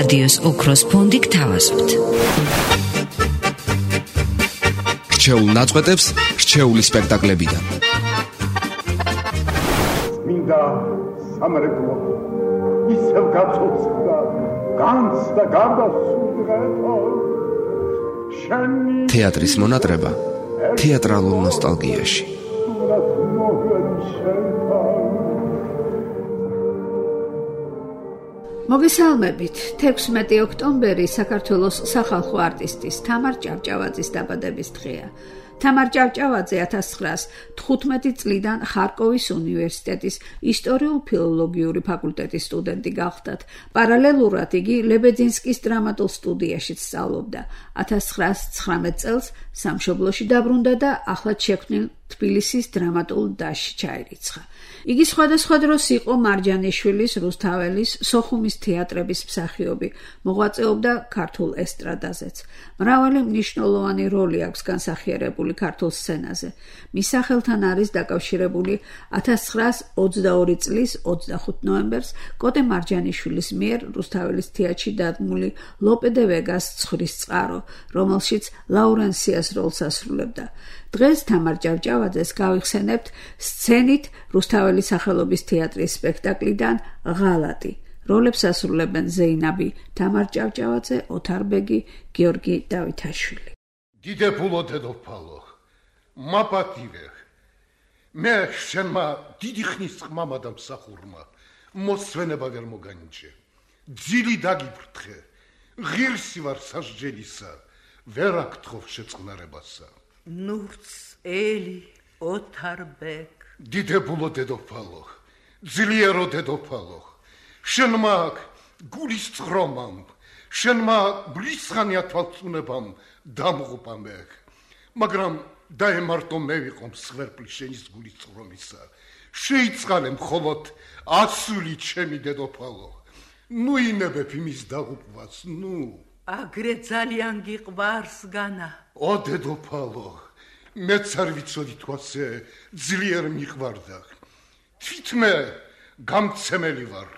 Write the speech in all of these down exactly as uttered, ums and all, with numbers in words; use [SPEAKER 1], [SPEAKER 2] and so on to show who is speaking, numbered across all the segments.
[SPEAKER 1] რადიოს ოქროს ფონდი გთავაზობთ.
[SPEAKER 2] რჩეულ ნაწყვეტებს რჩეული სპექტაკლებიდან.
[SPEAKER 3] მინდა სამრეკლო ისევ გაწოცხლდა განცდა გარდასულიყო შენი
[SPEAKER 2] თეატრის მონატრება თეატრალურ ნოსტალგიაში.
[SPEAKER 4] მოგესალმებით. თექვსმეტი ოქტომბერი საქართველოს სახალხო არტისტის თამარ ჭავჭავაძის დაბადების დღეა. თამარ ჭავჭავაძე ათას ცხრაას თხუთმეტი წლიდან ხარკოვის უნივერსიტეტის ისტორიულ-ფილოლოგიური ფაკულტეტის სტუდენტი გახდათ. პარალელურად იგი ლებეძინსკის დრამატულ სტუდიაში სწავლობდა. ათას ცხრაას ცხრამეტ წელს სამშობლოში დაბრუნდა და ახლად შექმნილ თბილისის დრამატულ დასში ჩაირიცხა. იგი სხვადასხვა დროს იყო მარჯანიშვილის, რუსთაველის, სოხუმის თეატრების მსახიობი, მოღვაწეობდა ქართულ ესტრადაზეც. მრავალი მნიშვნელოვანი როლი აქვს განსახიერებული ქართულ სცენაზე. მის სახელთან არის დაკავშირებული ათას ცხრაას ოცდაორი წლის ოცდახუთ ნოემბერს კოტე მარჯანიშვილის მიერ რუსთაველის თეატრში დადგმული ლოპე დე ვეგას ცხრის წყარო, რომელშიც ლაურენსიას როლს ასრულებდა. დღეს თამარ ჭავჭავაძეს გავიხსენებთ სცენით რუსთაველის სახელობის თეატრის სპექტაკლიდან ღალატი. როლებს ასრულებენ ზეინაბი, თამარ ჭავჭავაძე, ოთარ ბეგი, გიორგი დავითაშვილი.
[SPEAKER 3] დიდებულო დედოფალო, მაპატივე, მე შენმა დიდი ხნის ყმამა და მსახურმა მოსვენება ვერ მოგანიჭე. ძილი დაგიფრთხე, ღირსი ვარ სასჯელისა, ვერ აკთხოვ შეწყნარებასა.
[SPEAKER 5] ნურც ელი ოთარ ბეგ.
[SPEAKER 3] დიდებულო დედოფალო, ძლიერო დედოფალო, შენმა გულის წრომამ, შენმა ბრისხანია თვალწუნებამ დამღუპა მე, მაგრამ დაემართო მე ვიყო მსხვერპლი შენის გულის წრომისა. შეიწყალე მხოლოდ ასული ჩემი დედოფალო. ნუ ინებებ იმის დაღუპვას, ნუ.
[SPEAKER 5] აგრე ძალიან გიყვარს განა.
[SPEAKER 3] ო დედოფალო, მეც არ ვიცოდი თუ ასე ძლიერ მიყვარდა. თვითმე გამცემელი ვარ,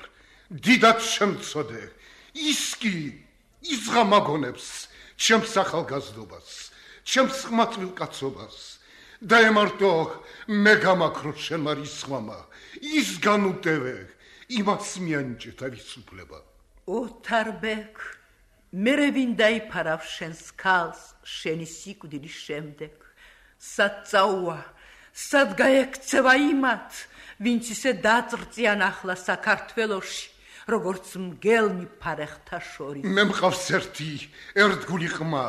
[SPEAKER 3] დიდად შემწოდე. ის კი იზღამაგონებს ჩემს ახალგაზრდობას, ჩემს ხმათვილ კაცობას. დაემართო მე გამაქრო შენმა რისხვამა, ის განუტევე, იმას მიანიჭე თავისუფლება.
[SPEAKER 5] ოთარ ბეგ, მერე ვინ დაიფარავ შენს ქალს შენი სიკვდილის შემდეგ. სად წაუვა, სად გაექცევა იმათ, ვინც ისე დააწრწიან ახლა საქართველოში, როგორც მგელმი ფარეხთა შორის.
[SPEAKER 3] მე მყავს ერთი ერთგული ყმა,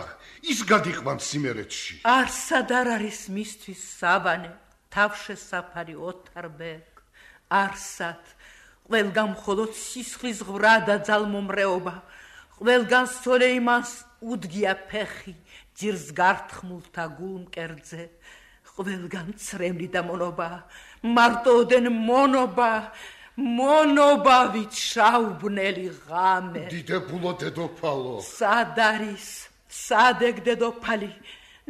[SPEAKER 3] ის გადიყვანს იმერეთში.
[SPEAKER 5] არსად არ არის მისთვის სავანე, თავშესაფარი ოთარ ბეგ. არსად, ყველგან მხოლოდ სისხლის ღვრა და ძალმომრეობა, ყველგან სოლეიმანს უდგია ფეხი ძირს გართხმულთა გულმკერძზე, ყველგან ცრემლი და მონობა, მარტოოდენ მონობა, მონობავით შავბნელი ღამე.
[SPEAKER 3] დიდებულო დედოფალო,
[SPEAKER 5] სად არის, სად ეგ დედოფალი,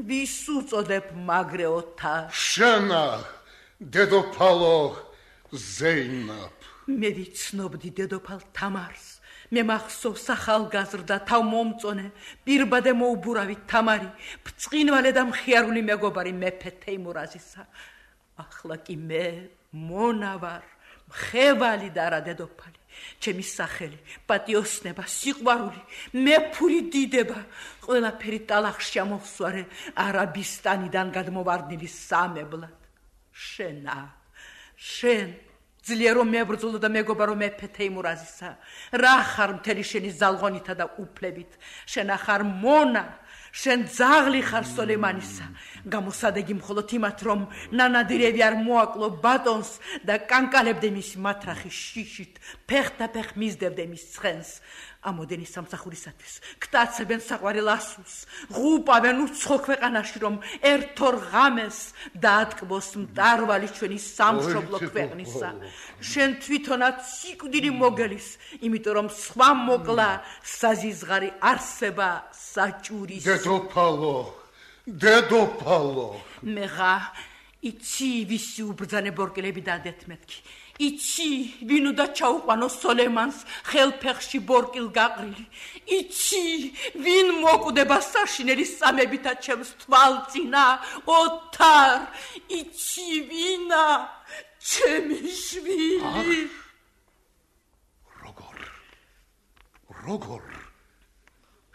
[SPEAKER 5] ვის უწოდებ მაგრე ოთარ?
[SPEAKER 3] შენა დედოფალო ზეინაბ.
[SPEAKER 5] მე ვიცნობდი დედოფალ თამარს, მე მახსოვს ახალგაზრდა თავმომწონე, პირბადე მოუბურავი თამარი, ბრწყინვალე და მხიარული მეგობარი მეფე თეიმურაზისა. ახლა კი მე მონა ვარ, მხევალი და არა დედოფალი. ჩემი სახელი, პატიოსნება, სიყვარული, მეფური დიდება, ყველაფერი ტალახში ამოვსვარე არაბისტანიდან გადმოვარდნილი სამებლად. შენა, შენ ძლიერო მებრძოლო და მეგობარო მეფე თეიმურაზისა, რა ხარ მთელი შენი ზალღონითა და უფლებით, შენ ახარ მონა, შენ ძაღლი ხარ სოლეიმანისა. გამოსადეგი მხოლოდ იმათ, რომ ნანადირევი არ მოაკლო ბატონს და კანკალებდე მისი მათრახის შიშით, ფეხთაფეხ მისდევდე მის ცხენს. ამოდენი სამსახურისათვის გტაცებენ საყვარელ ასულს, ღუპავენ უცხო ქვეყანაში, რომ ერთორ ღამეს დაატკბოს მტარვალი ჩვენი სამშობლო ქვეყნისა. შენ თვითონაც სიკვდილი მოგელის, იმიტომ რომ სხვა მოკლა საზიზღარი არსება საჭურის.
[SPEAKER 3] დედოფალო, დედოფალო.
[SPEAKER 5] მეხა იცი ვისი უბრძანე ბორკელები და დეთმეთქი. იცი ვინ უნდა ჩაუყვანო სოლემანს ხელფეხში ბორკილ გაყრილი იცი ვინ მოკვდება საშინელი სამებითა ჩემს თვალწინა ოთარ იცი ვინა ჩემი შვილი
[SPEAKER 3] როგორ როგორ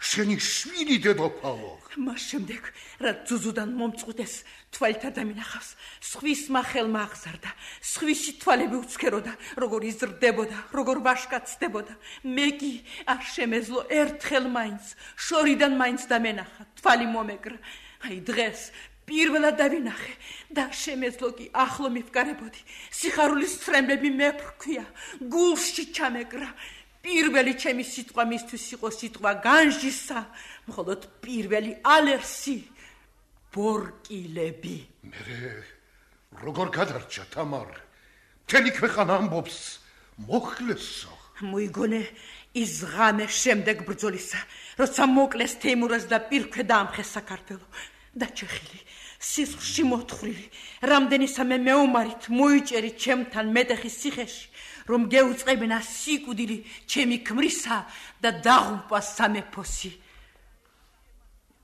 [SPEAKER 3] შენი შვილი დედოფალო
[SPEAKER 5] მას შემდეგ რა ძუძუდან მომწყვიტეს თვალით არ დამინახავს სხვის მახელმა აღზარდა სხვისი თვალები უცქეროდა როგორ იზრდებოდა როგორ ვაშკაცდებოდა მე კი არ შემეძლო ერთხელ მაინც შორიდან მაინც დამენახა თვალი მომეკრა აი დღეს პირველად დავინახე და შემეძლო კი ახლო მიფკარებოდი სიხარულის ცრემლები მეფრქვია გულში ჩამეკრა პირველი ჩემი სიტყვა მისთვის იყო სიტყვა განჯისა, მხოლოდ პირველი ალერსი ბორკილები.
[SPEAKER 3] მე როგორ გადარჩა თამარ? მთელი ქვეყანა ამბობს მოხლესო.
[SPEAKER 5] მოიგონე ის ღამე შემდეგ ბრძოლისა, როცა მოკლეს თეიმურაზ და პირქვე დაამხეს საქართველო. დაჩეხილი, სისხლში მოთხრილი, რამდენისამე მეომარით მოიჭერი ჩემთან მეტეხის ციხეში. რომ გეუწყებინა სიკვდილი ჩემი ქმრისა და დაღუპვა სამეფოსი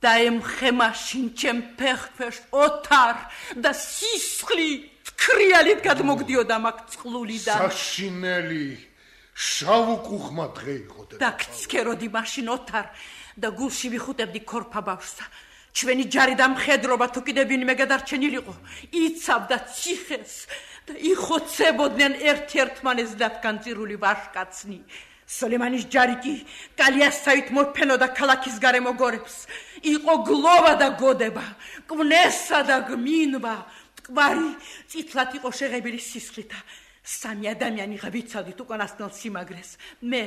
[SPEAKER 5] და ემხე მაშინ ჩემ ფეხქვეშ ოთარ და სისხლი თქრიალით გადმოგდიოდა მაგ წყლულიდან
[SPEAKER 3] საშინელი შავუკუხმა დღე იყო
[SPEAKER 5] და გცქეროდი მაშინ ოთარ და გულში ვიხუტებდი ქორფა ბავშვსა ჩვენი ჯარი და მხედრობა თუ კიდე ვინმე გადარჩენილიყო იცავდა ციხეს და იხოცებოდნენ ერთ-ერთმანეს დათგანწირული ვაშკაცნი. სოლემანის ჯარი კი კალიასავით მოფენოდა ქალაქის გარემო გორებს. იყო გლოვა და გოდება, კვნესა და გმინვა, მტკვარი წითლად იყო შეღებილი სისხლითა. სამი ადამიანი ღავიცავდით უკანასკნელ სიმაგრეს. მე,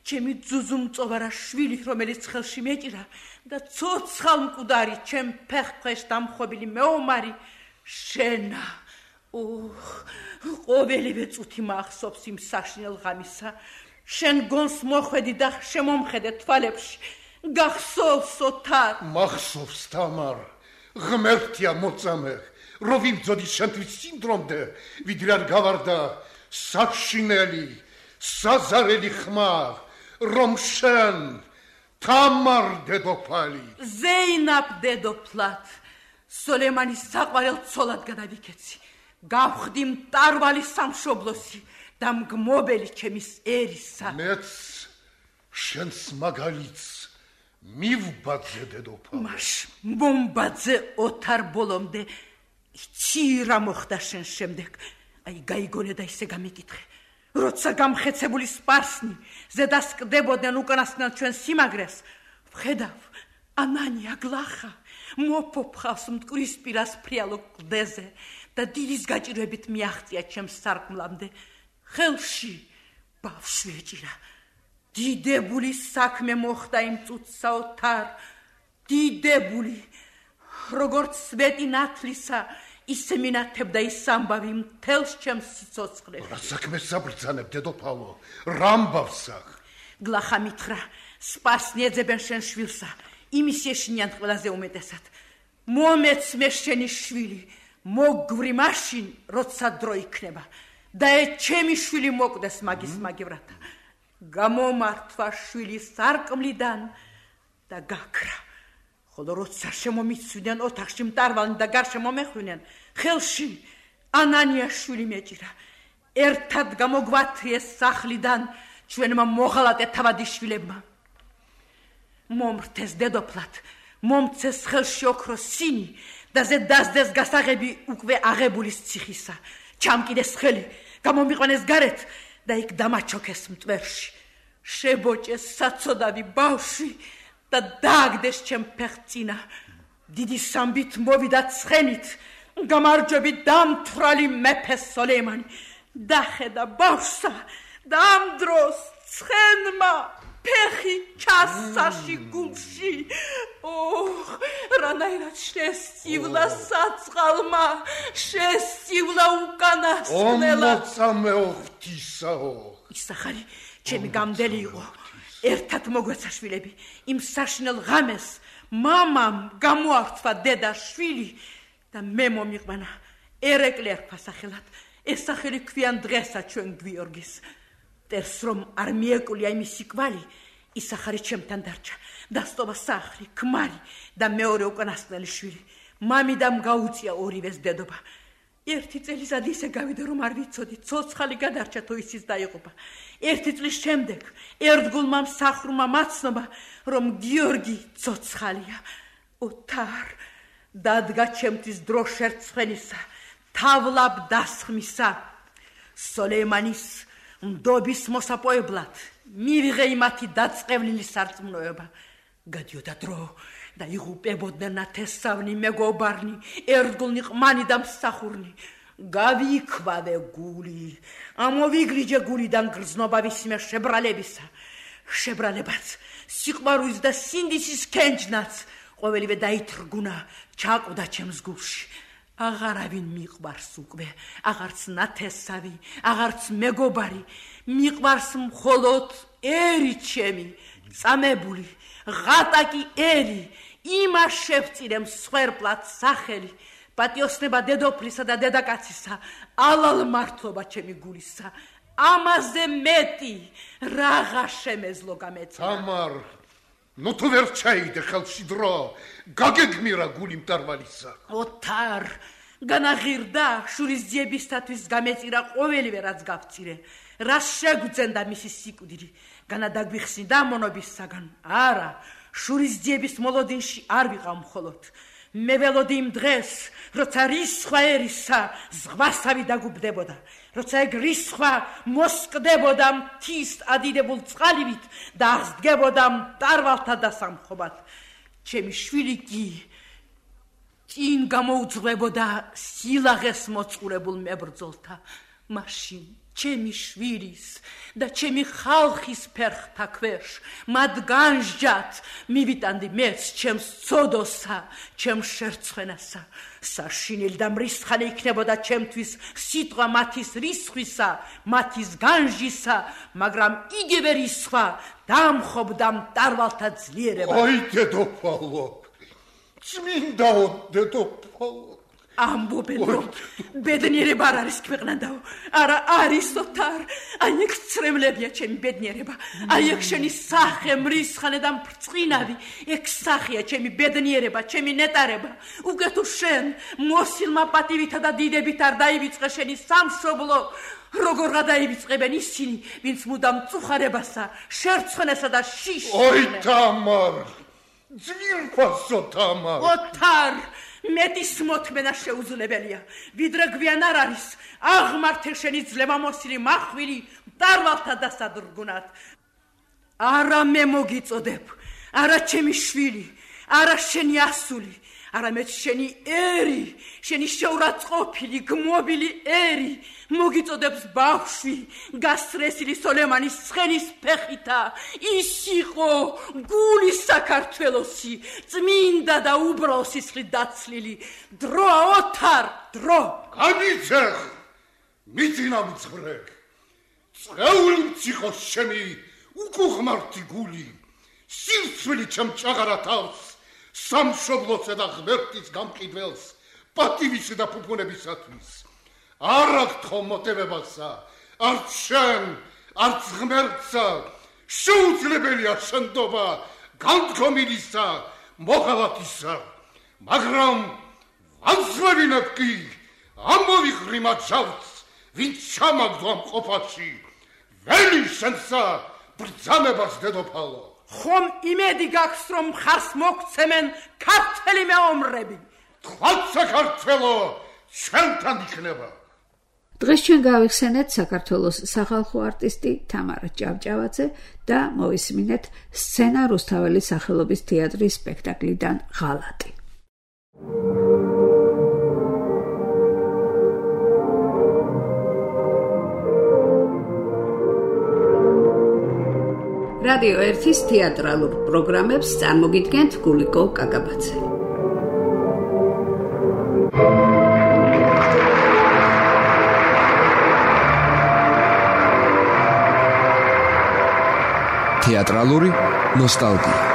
[SPEAKER 5] ჩემი ძუძუმწოვარა შვილი, რომელიც ხელში მეჭირა და ცოცხალ მკვდარი ჩემ ფეხქვეშ დამხვობილი მეომარი შენა. ოხ, ყოველივე წუთი მახსოვს იმ საშინელ ღამისა. შენ გონს მოხვედი და შემომხედე თვალებში. გახსოვს ოთარ?
[SPEAKER 3] მახსოვს თამარ. ღმერთია მოწამე, რო ვიბრძოდი შენთვის სიმდრომდე, ვიდრე არ გავარდა საშინელი, საზარელი ხმა, რომ შენ თამარ დედოფალი.
[SPEAKER 5] ზეინაბ დედოფლად, სოლემანის საყვარელ ცოლად გადავიქეცი. გავხდი მტარვალი სამშობლოსი და მგმობელი ჩემის ერისა.
[SPEAKER 3] მეც შენს მაგალითს მივბაძე დედოფალ.
[SPEAKER 5] მაშ მომბაძე ოთარ ბოლომდე იცი რა მოხდა შენ შემდეგ. აი გაიგონე და ისე გამიკითხე. როცა გამხეცებული სპარსნი ზედასკდებოდნენ უკანასკნელ ჩვენ სიმაგრეს, ვხედავ ანანია გლახა მოფოფხავს მტკვრისპირას ფრიალო კლდეზე და დილის გაჭირვებით მიაღწია ჩემს სარკმლამდე. ხელში ბავშვი ეჭირა. დიდებული საქმე მოხდა იმ წუთსა ოთარ. დიდებული. როგორც სვეტი ნათლისა, ისე მინათებდა ის ამბავი მთელს ჩემს სიცოცხლეში.
[SPEAKER 3] რა საქმეს საბრძანებ დედოფალო? რა ამბავსა?
[SPEAKER 5] გლახა მითხრა, სპარსნი ეძებენ შენ შვილსა. იმის ეშინიან ყველაზე უმეტესად. მომეც მე შენი შვილი. მოგვრი მაშინ, როცა დრო იქნება და ე ჩემი შვილი მოკვდეს მაგის მაგივრათა. გამომართვა შვილი სარკმლიდან და გაქრა. ხოლო როცა შემომიცვდნენ ოთახში მტარვალნი და გარშემო მეხვდნენ, ხელში ანანია შვილი მეჭირა. ერთად გამოგვათრიეს სახლიდან ჩვენმა მოღალატე თავადიშვილებმა. მომრთეს დედოფლად, მომცეს ხელში ოქროს სინი და ზე დასდეს გასაღები უკვე აღებულის ციხისა. ჩამკიდეს ხელი, გამომიყვანეს გარეთ და იქ დამაჩოქეს მტვერში. შებოჭეს საცოდავი ბავშვი და დააგდეს ჩემ ფეხწინა. დიდი სამბით მოვიდა ცხენით, გამარჯვებით დამთვრალი მეფე სოლემანი. დახედა ბავშვსა და ამ დროს ცხენმა ფეხი ჩასაში გულში. ოხ, რანაირად შესწივლა საწყალმა, შესწივლა უკანასკნელად.
[SPEAKER 3] ომოწამეო ღვთისაო.
[SPEAKER 5] ისახარი ჩემი გამდელი იყო. ერთად მოგვეცა შვილები. იმ საშინელ ღამეს მამამ გამოართვა დედა შვილი და მე მომიყვანა ერეკლე ერქვა სახელად. ეს სახელი ქვიან დღესაც ჩვენ გვიორგის. მტერს რომ არ მიეკვლია იმისი კვალი, ის ახალი ჩემთან დარჩა. დასტოვა სახლი, ქმარი და მეორე უკანასკნელი შვილი. მამიდამ გაუწია ორივეს დედობა. ერთი წელიწადი ისე გავიდა რომ არ ვიცოდი, ცოცხალი გადარჩა თუ ისიც დაიღუპა. ერთი წლის შემდეგ ერთგულმა მსახურმა მაცნობა, რომ გიორგი ცოცხალია. ოთარ დადგა ჩემთვის დრო შერცხვენისა, თავლაბ დასხმისა. სოლეიმანის მდობის მოსაპოებლად მივიღე იმათი დაწყევლილი სარწმუნოება. გადიოდა დრო და იღუპებოდნენ ნათესავნი მეგობარნი, ერთგულნი ყმანი და მსახურნი. გავიქვავე გული, ამოვიგრიჯე გულიდან გრძნობა ვისიმე შებრალებისა. შებრალებაც, სიყვარულის და სინდისის კენჭნაც ყოველივე დაითრგუნა, ჩაკვდა ჩემს გულში. აღარავინ მიყვარს უკვე, აღარც ნათესავი, აღარც მეგობარი, მიყვარს მხოლოდ ერი ჩემი, წამებული, ღატაკი ერი, იმას შევწირემ სვერპლად სახელი, პატიოსნება დედოფლისა და დედაკაცისა, ალალ მართლობა ჩემი გულისა. ამაზე მეტი რაღა შემეძლო გამეწია.
[SPEAKER 3] თამარ, ნუ თუ ვერ ჩაიგდე ხელში დრო, გაგეგმირა გული მტარვალისა.
[SPEAKER 5] ოთარ, განაღირდა შურის ძიებისათვის გამეწირა ყოველივე რაც გავწირე. რას შეგვძენდა მისი სიკვდილი, განადაგვიხსნიდა მონობისაგან. არა, შურის ძიების მოლოდინში არ ვიყავ მხოლოდ. მე ველოდი იმ დღეს, როცა რისხვა ერისა ზღვასავი დაგუბდებოდა, როცა ეგ რისხვა მოსკდებოდა მთის ადიდებულ წყალივით და აღსდგებოდა მტარვალთა დასამხობად. ჩემი შვილი კი წინ გამოუძღვებოდა სილაღეს მოწყურებულ მებრძოლთა. მაშინ ჩემი შვილის და ჩემი ხალხის ფერხთა ქვეშ მათ განსჯათ მივიტანდი მეც ჩემს ცოდოსა, ჩემს შერცხვენასა. საშინელი და მრისხანე იქნებოდა ჩემთვის სიტყვა მათის რისხვისა, მათის განსჯისა, მაგრამ იგივე რისხვა დამხობდა მტარვალთა ძლიერება.
[SPEAKER 3] აი დედოფალო, წმინდაო დედოფალო,
[SPEAKER 5] ამბობენ რომ ბედნიერება არ არის ქვეყნანდაო. არა არის ოთარ, აი ეგ ცრემლებია ჩემი ბედნიერება, აი ეგ შენი სახე მრისხანე და მბრწყინავი, ეგ სახეა ჩემი ბედნიერება, ჩემი ნეტარება. უკვე თუ შენ მოსილმა პატივითა და დიდებით არ დაივიწყე შენი სამშობლო, როგორ გადაივიწყებენ ისინი, ვინც მუდამ წუხარებასა, შერცხვენასა და შიშს.
[SPEAKER 3] ოი თამარ, ძვირფასო თამარ.
[SPEAKER 5] ოთარ, მეტის მოთმენა შეუძლებელია, ვიდრე გვიან არ არის აღმართე შენი ძლევამოსილი მახვილი მტარვალთა დასადრგუნად. არა მე მოგიწოდებ, არა ჩემი შვილი, არა შენი ასული, არამედ შენი ერი, შენი შეურაცხყოფილი, გმობილი ერი მოგიწოდებს ბავშვი, გასრესილი სოლემანის ცხენის ფეხითა. ის იყო გულის საქართველოსი, წმინდა და უბრალო სისხლით დაცლილი. დროა ოთარ, დრო.
[SPEAKER 3] გამიძეხ, მიძინა მძღრე. წეული მციხოს შემი, უკუღმართი გული, სირცვილი ჩემ ჭაღარა თავს. სამშობლოსა და ღმერთის გამყიდველს, პატივისა და ფუფუნებისათვის. არ აგთხო მოტივებასა, არც შენ, არც ღმერთსა, შეუძლებელია შენდობა, განდგომილისა, მოღალატისა. მაგრამ ვანსვევინებ კი, ამოვიღრი მათ ჟალს, ვინც ჩამაგდო ამ ყოფაში. ველი შენსა, ბრძანებას დედოფალო.
[SPEAKER 5] ხომ იმედი გაქვს რომ ხარს მოგცემენ ქართველი მეომრები.
[SPEAKER 3] თქვათ საქართველო ჩვენთან იქნება.
[SPEAKER 4] დღეს ჩვენ გავიხსენეთ საქართველოს სახალხო არტისტი თამარ ჭავჭავაძე და მოვისმინეთ სცენა რუსთაველის სახელობის თეატრის სპექტაკლიდან ღალატი. რადიო ერთის თეატრალურ პროგრამებს წარმოგიდგენთ გულიკო კაკაბაძე.
[SPEAKER 2] თეატრალური ნოსტალგია.